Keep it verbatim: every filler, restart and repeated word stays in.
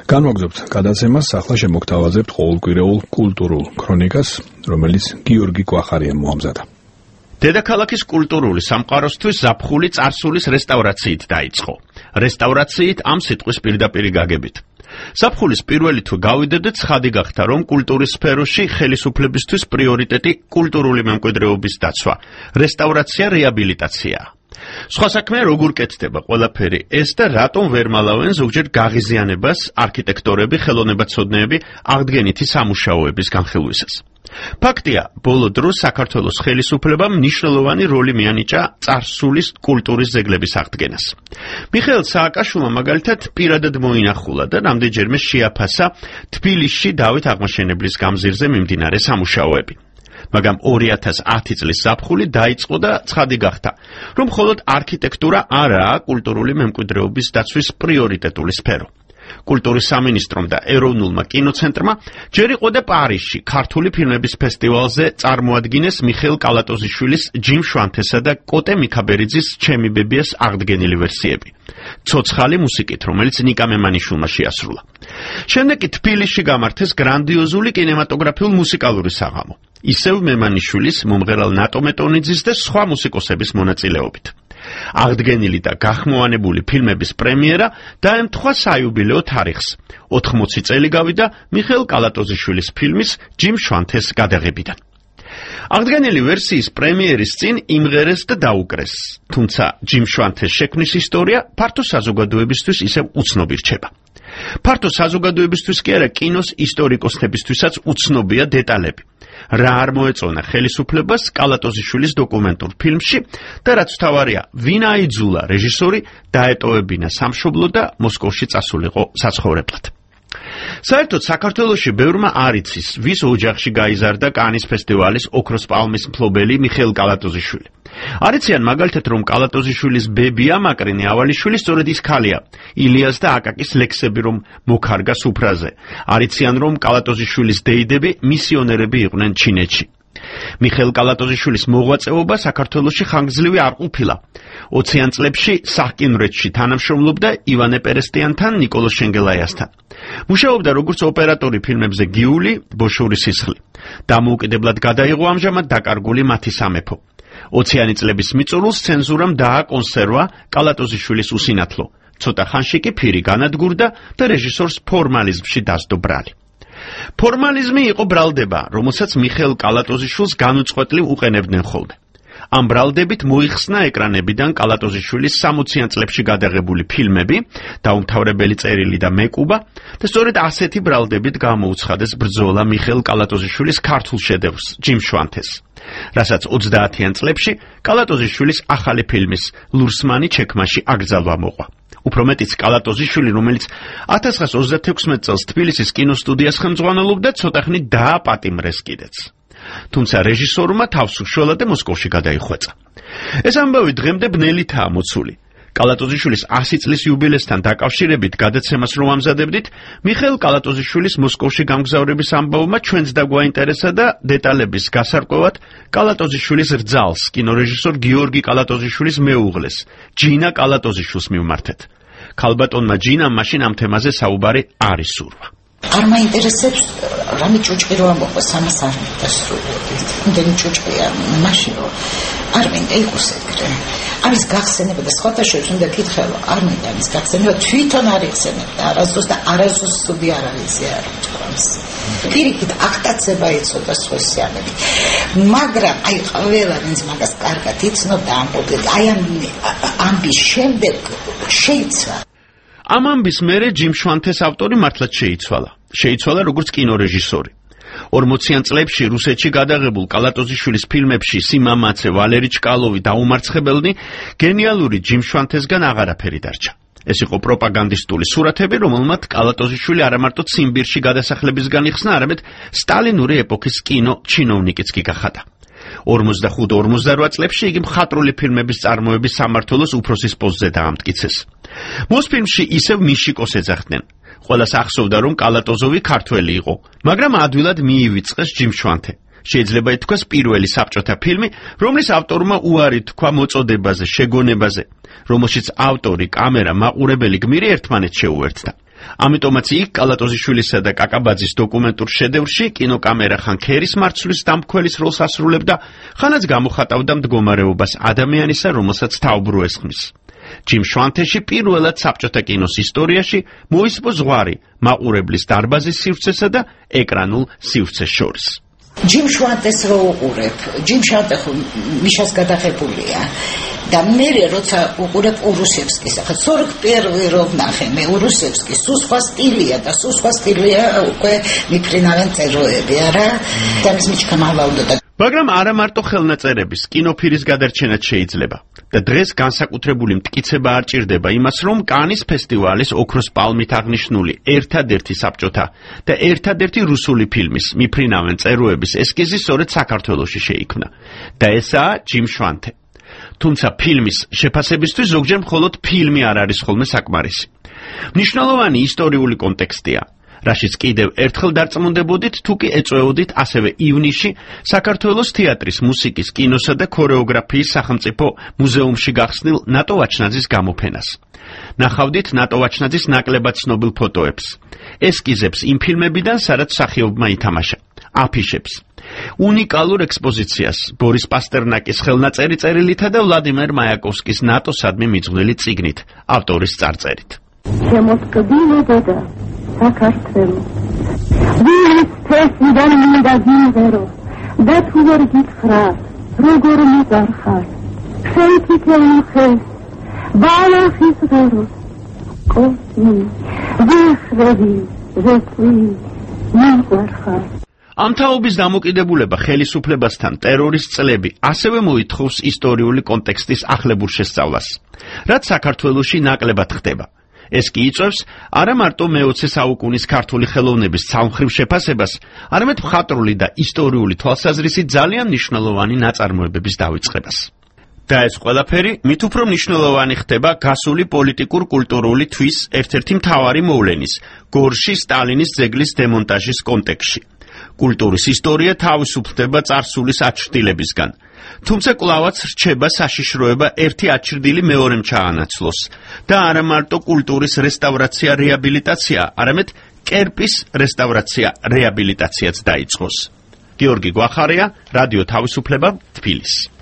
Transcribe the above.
განვაგრძობთ გადაცემას, ახლა შემოგთავაზებთ ყოველკვირეულ კულტურულ ქრონიკას, რომელიც გიორგი კვახარიამ მოამზადა. დედაქალაქის კულტურული სამყაროსთვის ზაფხული წარსულის რესტავრაციით დაიწყო. რესტავრაციით ამ სიტყვის პირდაპირი გაგებით. ზაფხულის პირველი თუ გავიდოდეთ, ცხადი გახდა, რომ კულტურის სფეროში ხელისუფლებისთვის პრიორიტეტი კულტურული მემკვიდრეობის დაცვა, რესტავრაცია, რეაბილიტაციაა. სხვა საქმე როგორ კეთდება ყველაფერი ეს და რატომ ვერ მალავენ ზოგჯერ გაღიზიანებას არქიტექტორები, ხელოვნებაცოდნეები აღდგენითი სამუშაოების განხილვისას. ფაქტია, ბოლო დროს საქართველოს ხელისუფლებამ მნიშვნელოვანი როლი მიანიჭა წარსულის კულტურის ძეგლების აღდგენას. მიხეილ სააკაშვილმა მაგალითად პირადად მოინახულა და რამდენჯერმე შეაფასა თბილისში დავით აღმაშენებლის გამზირზე მიმდინარე სამუშაოები. მაგრამ ორი ათას ათი წლის ზაფხული დაიწყო და ცხადი გახდა, რომ მხოლოდ არქიტექტურა არაა კულტურული მემკვიდრეობის დაცვის პრიორიტეტული სფერო. კულტურის სამინისტრომ და ეროვნულმა კინოცენტრმა ჯერ იყო და პარიზში ქართული ფილმების ფესტივალზე წარმოადგინეს მიხეილ კალატოზიშვილის, ჯიმ შვანთესა და კოტე მიქაბერიძის ჩემი ბებიას აღდგენილი ვერსიები. ცოცხალი მუსიკით, რომელიც ნიკა მემანიშვილმა შეასრულა. შემდეგ კი თბილისში გამართეს გრანდიოზული კინემატოგრაფიულ მუსიკალური საღამო. ისევ მემანიშვილის, მომღერალ ნატო მეტონიძის და სხვა მუსიკოსების მონაწილეობით. აღდგენილი და გახმოვანებული ფილმების პრემიერა დაემთხვა საიუბილეო თარიღს. ოთხმოცი წელი გავიდა მიხეილ კალატოზიშვილის ფილმის ჯიმ შვანთეს გადაღებიდან. აღდგენილი ვერსიის პრემიერის წინ იმღერეს და დაუკრეს, თუმცა ჯიმ შვანთეს შექმნის ისტორია ფართო საზოგადოებისთვის ისევ უცნობი რჩება. ფართო საზოგადოებისთვის კი არა, კინოს ისტორიკოსებისთვისაც უცნობია დეტალები. რა არ მოეწონა ხელისუფლებას კალატოზიშვილის დოკუმენტურ ფილმში და რაც თავარია, ვინ აიძულა რეჟისორი დაეტოვებინა სამშობლო და მოსკოვში წასულიყო საცხოვრებლად. საერთოდ საქართველოში ბევრმა არ იცის, ვის ოჯახში გაიზარდა კანის ფესტივალის ოქროს პალმის მფლობელი მიხეილ კალატოზიშვილი. არ იციან მაგალითად, რომ კალატოზიშვილის ბებია მაკრინე ავალიშვილი სწორედ ის ქალია, ილიას და აკაკის ლექსები რომ მოქარგა სუფრაზე. არ იციან, რომ კალატოზიშვილის დეიდები მისიონერები იყვნენ ჩინეთში. მიხეილ კალატოზიშვილის მოღვაწეობა საქართველოში ხანგრძლივი არ ყოფილა. ოციან წლებში სახკინვრეთში თანამშრომლობდა ივანე პერესტიანთან, ნიკოლოზ შენგელაიასთან. მუშაობდა როგორც ოპერატორი ფილმებზე გიული, ბოშური სისხლი. დამოუკიდებლად გადაიღო ამჟამად დაკარგული მათი სამეფო. ოციანი წლების მიწურულს ცენზურამ დააკონსერვა კალატოზიშვილის უსინათლო. ცოტა ხანში კი ფირი განადგურდა და რეჟისორს ფორმალიზმში დასდო ბრალი. ფორმალიზმი იყო ბრალდება, რომელსაც მიხეილ კალატოზიშვილს განუწყვეტლივ უყენებდნენ ხოლმე. ამ ბრალდებით მოიხსნა ეკრანებიდან კალატოზიშვილის სამოციან წლებში გადაღებული ფილმები, დაუმთავრებელი წერილი და მეკუბა და სწორედ ასეთი ბრალდებით გამოუცხადეს ბრძოლა მიხეილ კალატოზიშვილის ქართულ შედევრს, ჯიმ შვანთეს, რასაც ოცდაათიან წლებში კალატოზიშვილის ახალი ფილმის ლურსმანი ჩექმაში აკრძალვა მოყვა. უფრო მეტიც კალატოზიშვილი, რომელიც ათას ცხრაას ოცდათექვსმეტ წელს თბილისის კინოსტუდიას ხელმძღვანელობდა, ცოტახნით დააპატიმრეს კიდეც. თუმცა რეჟისორმა თავს უშველა და მოსკოვში გადაიხვეწა. ეს ამბავი დღემდე ბნელითაა მოცული. კალატოზიშვილის ასი წლის იუბილესთან დაკავშირებით გადაცემას რომ ამზადებდით, მიხეილ კალატოზიშვილის მოსკოვში გამგზავრების ამბავმა ჩვენც დაგვაინტერესა და დეტალების გასარკვევად კალატოზიშვილის რძალს, კინორეჟისორ გიორგი კალატოზიშვილის მეუღლეს, ჯინა კალატოზიშვილს მივმართეთ. ქალბატონმა ჯინამ მაშინ ამ თემაზე საუბარი არ ისურვა. არ მაინტერესებს რამე ჭუჭყი რო ამბობა სამას არ დასრულებდი. იმდენი ჭუჭყია მაშინ რომ არ მინდა იყოს ეგრე. ამის გახსენება და სხვათა შორის უნდა კითხება, არ მინდა ამის გახსენება, თვითონ არ იხსენებდა არასდროს და არასდროს სტუდია არ არიზე არ თქვამს. პირიქით აქტაცება იცოდა სხვესიანები. მაგრამ აი ყველა ვინც მაგას კარგად იცნობდა ამბობდა, აი ამ ამბის შემდეგ შეიცვალა. ამ ამბის მერე ჯიმ შვანთეს ავტორი მართლაც შეიცვალა. შეიცვალა როგორც კინორეჟისორი. ორმოციან წლებში რუსეთში გადაღებულ კალატოზიშვილის ფილმებში სიმამაცე, ვალერი ჩკალოვი, დაუმარცხებელნი გენიალური ჯიმ შვანთესგან აღარაფერი დარჩა. ეს იყო პროპაგანდისტული სურათები, რომელმაც კალატოზიშვილი არა მარტო ციმბირში გადასახლებისგან იხსნა, არამედ სტალინური ეპოქის კინო ჩინოვნიკიც კი გახადა. ორმოცდახუთ ორმოცდარვა წლებში იგი მხატვრული ფილმების წარმოების სამმართველოს უფროსის პოსტზე დაამტკიცეს. მოსფილმში ისევ მიშიკოს ეძახდნენ. ყველას ახსოვდა, რომ კალატოზოვი ქართველი იყო, მაგრამ ადვილად მიივიწყეს ჯიმ შვანთე. შეიძლება ითქვას პირველი საბჭოთა ფილმი, რომლის ავტორმა უარი თქვა მოწოდებაზე, შეგონებაზე, რომელშიც ავტორი, კამერა, მაყურებელი გმირი ერთმანეთს შეუერთდა. ამიტომაც იქ კალატოზიშვილისა და კაკაბაძის დოკუმენტურ შედევრში კინოკამერა ხან ქერის მარცვლის დამქველის როლს ასრულებდა, ხანაც გამოხატავდა მდგომარეობას ადამიანისა, რომელსაც თაუბრუ ესხმის. ჯიმ შვანთეში პირველად საბჭოთა კინოს ისტორიაში მოისპო ზღვარი მაყურებლის დარბაზის სივრცესა და ეკრანულ სივრცეს შორის. ჯიმ შვანთეს რო უყურებ, ჯიმ შვანთე მიშას გადაღებულია და მე როცა უყურებ ურუსევსკის, ახლა сорок первый რო ვნახე მე ურუსევსკის, სულ სხვა სტილია და სულ სხვა სტილია უკვე მიფრინავენ წეროები, არა? და ის მიჩქამალავდა. მაგრამ არა მარტო ხელნაწერების, კინოფირის გადარჩენაც შეიძლება. და დღეს განსაკუთრებული მტკიცება არ ჭირდება იმას, რომ კანის ფესტივალის ოქროს პალმით აღნიშნული ერთადერთი საბჭოთა და ერთადერთი რუსული ფილმის მიფრინავენ წეროების ესკიზი სწორედ საქართველოში შეიქმნა. და ესაა ჯიმ შვანთე. თუმცა ფილმის შეფასებისთვის ზოგჯერ მხოლოდ ფილმი არ არის ხოლმე საკმარისი. მნიშვნელოვანი ისტორიული კონტექსტია, რაშიც კიდევ ერთხელ დარწმუნდებოდით, თუ კი ეწვეოდით ასევე ივნისში საქართველოს თეატრის, მუსიკის, კინოსა და ქორეოგრაფიის სახელმწიფო მუზეუმში გახსნილ ნატო ვაჩნაძის გამოფენას. ნახავდით ნატო ვაჩნაძის ნაკლებად ცნობილ ფოტოებს, ესკიზებს იმ ფილმებიდან, სადაც მსახიობმა ითამაშა, აფიშებს. უნიკალურ ექსპოზიციას ბორის პასტერნაკის ხელნაწერი წერილითა და ვლადიმერ მაიაკოვსკის ნატოსადმი მიძღვნილი წიგნით, ავტორის წარწერით. შემოწყვილებოდა საქართველო. ვინც თესიდან მინდა გიმღერო და თუ ვერ გითხრათ, როგორ მიყარხარ. შენ თითოეულ ხელს ბალახის ღეროს კოსმი ვეხრები ვეწვი მიყარხარ. ამ თაობის დამოკიდებულება ხელისუფლებასთან ტერორის წლები ასევე მოითხოვს ისტორიული კონტექსტის ახლებურ შესწავლას, რაც საქართველოში ნაკლებად ხდება. ეს კი იწვევს არა მარტო მეოცე საუკუნის ქართული ხელოვნების ცალმხრივ შეფასებას, არამედ მხატვრული და ისტორიული თვალსაზრისით ძალიან მნიშვნელოვანი ნაწარმოებების დავიწყებას. და ეს ყველაფერი მით უფრო მნიშვნელოვანი ხდება გასული პოლიტიკურ-კულტურული თვის ერთ-ერთი მთავარი მოვლენის, გორში სტალინის ძეგლის დემონტაჟის კონტექსტში. კულტურის ისტორია თავისუფლდება წარსულის აჩრდილებისგან. თუმცა კვლავაც რჩება საშიშროება ერთი აჩრდილი მეორემ ჩაანაცვლოს და არა მარტო კულტურის რესტავრაცია, რეაბილიტაცია, არამედ კერპის რესტავრაცია, რეაბილიტაციაც დაიწყოს. გიორგი გვახარია, რადიო თავისუფლება, თბილისი.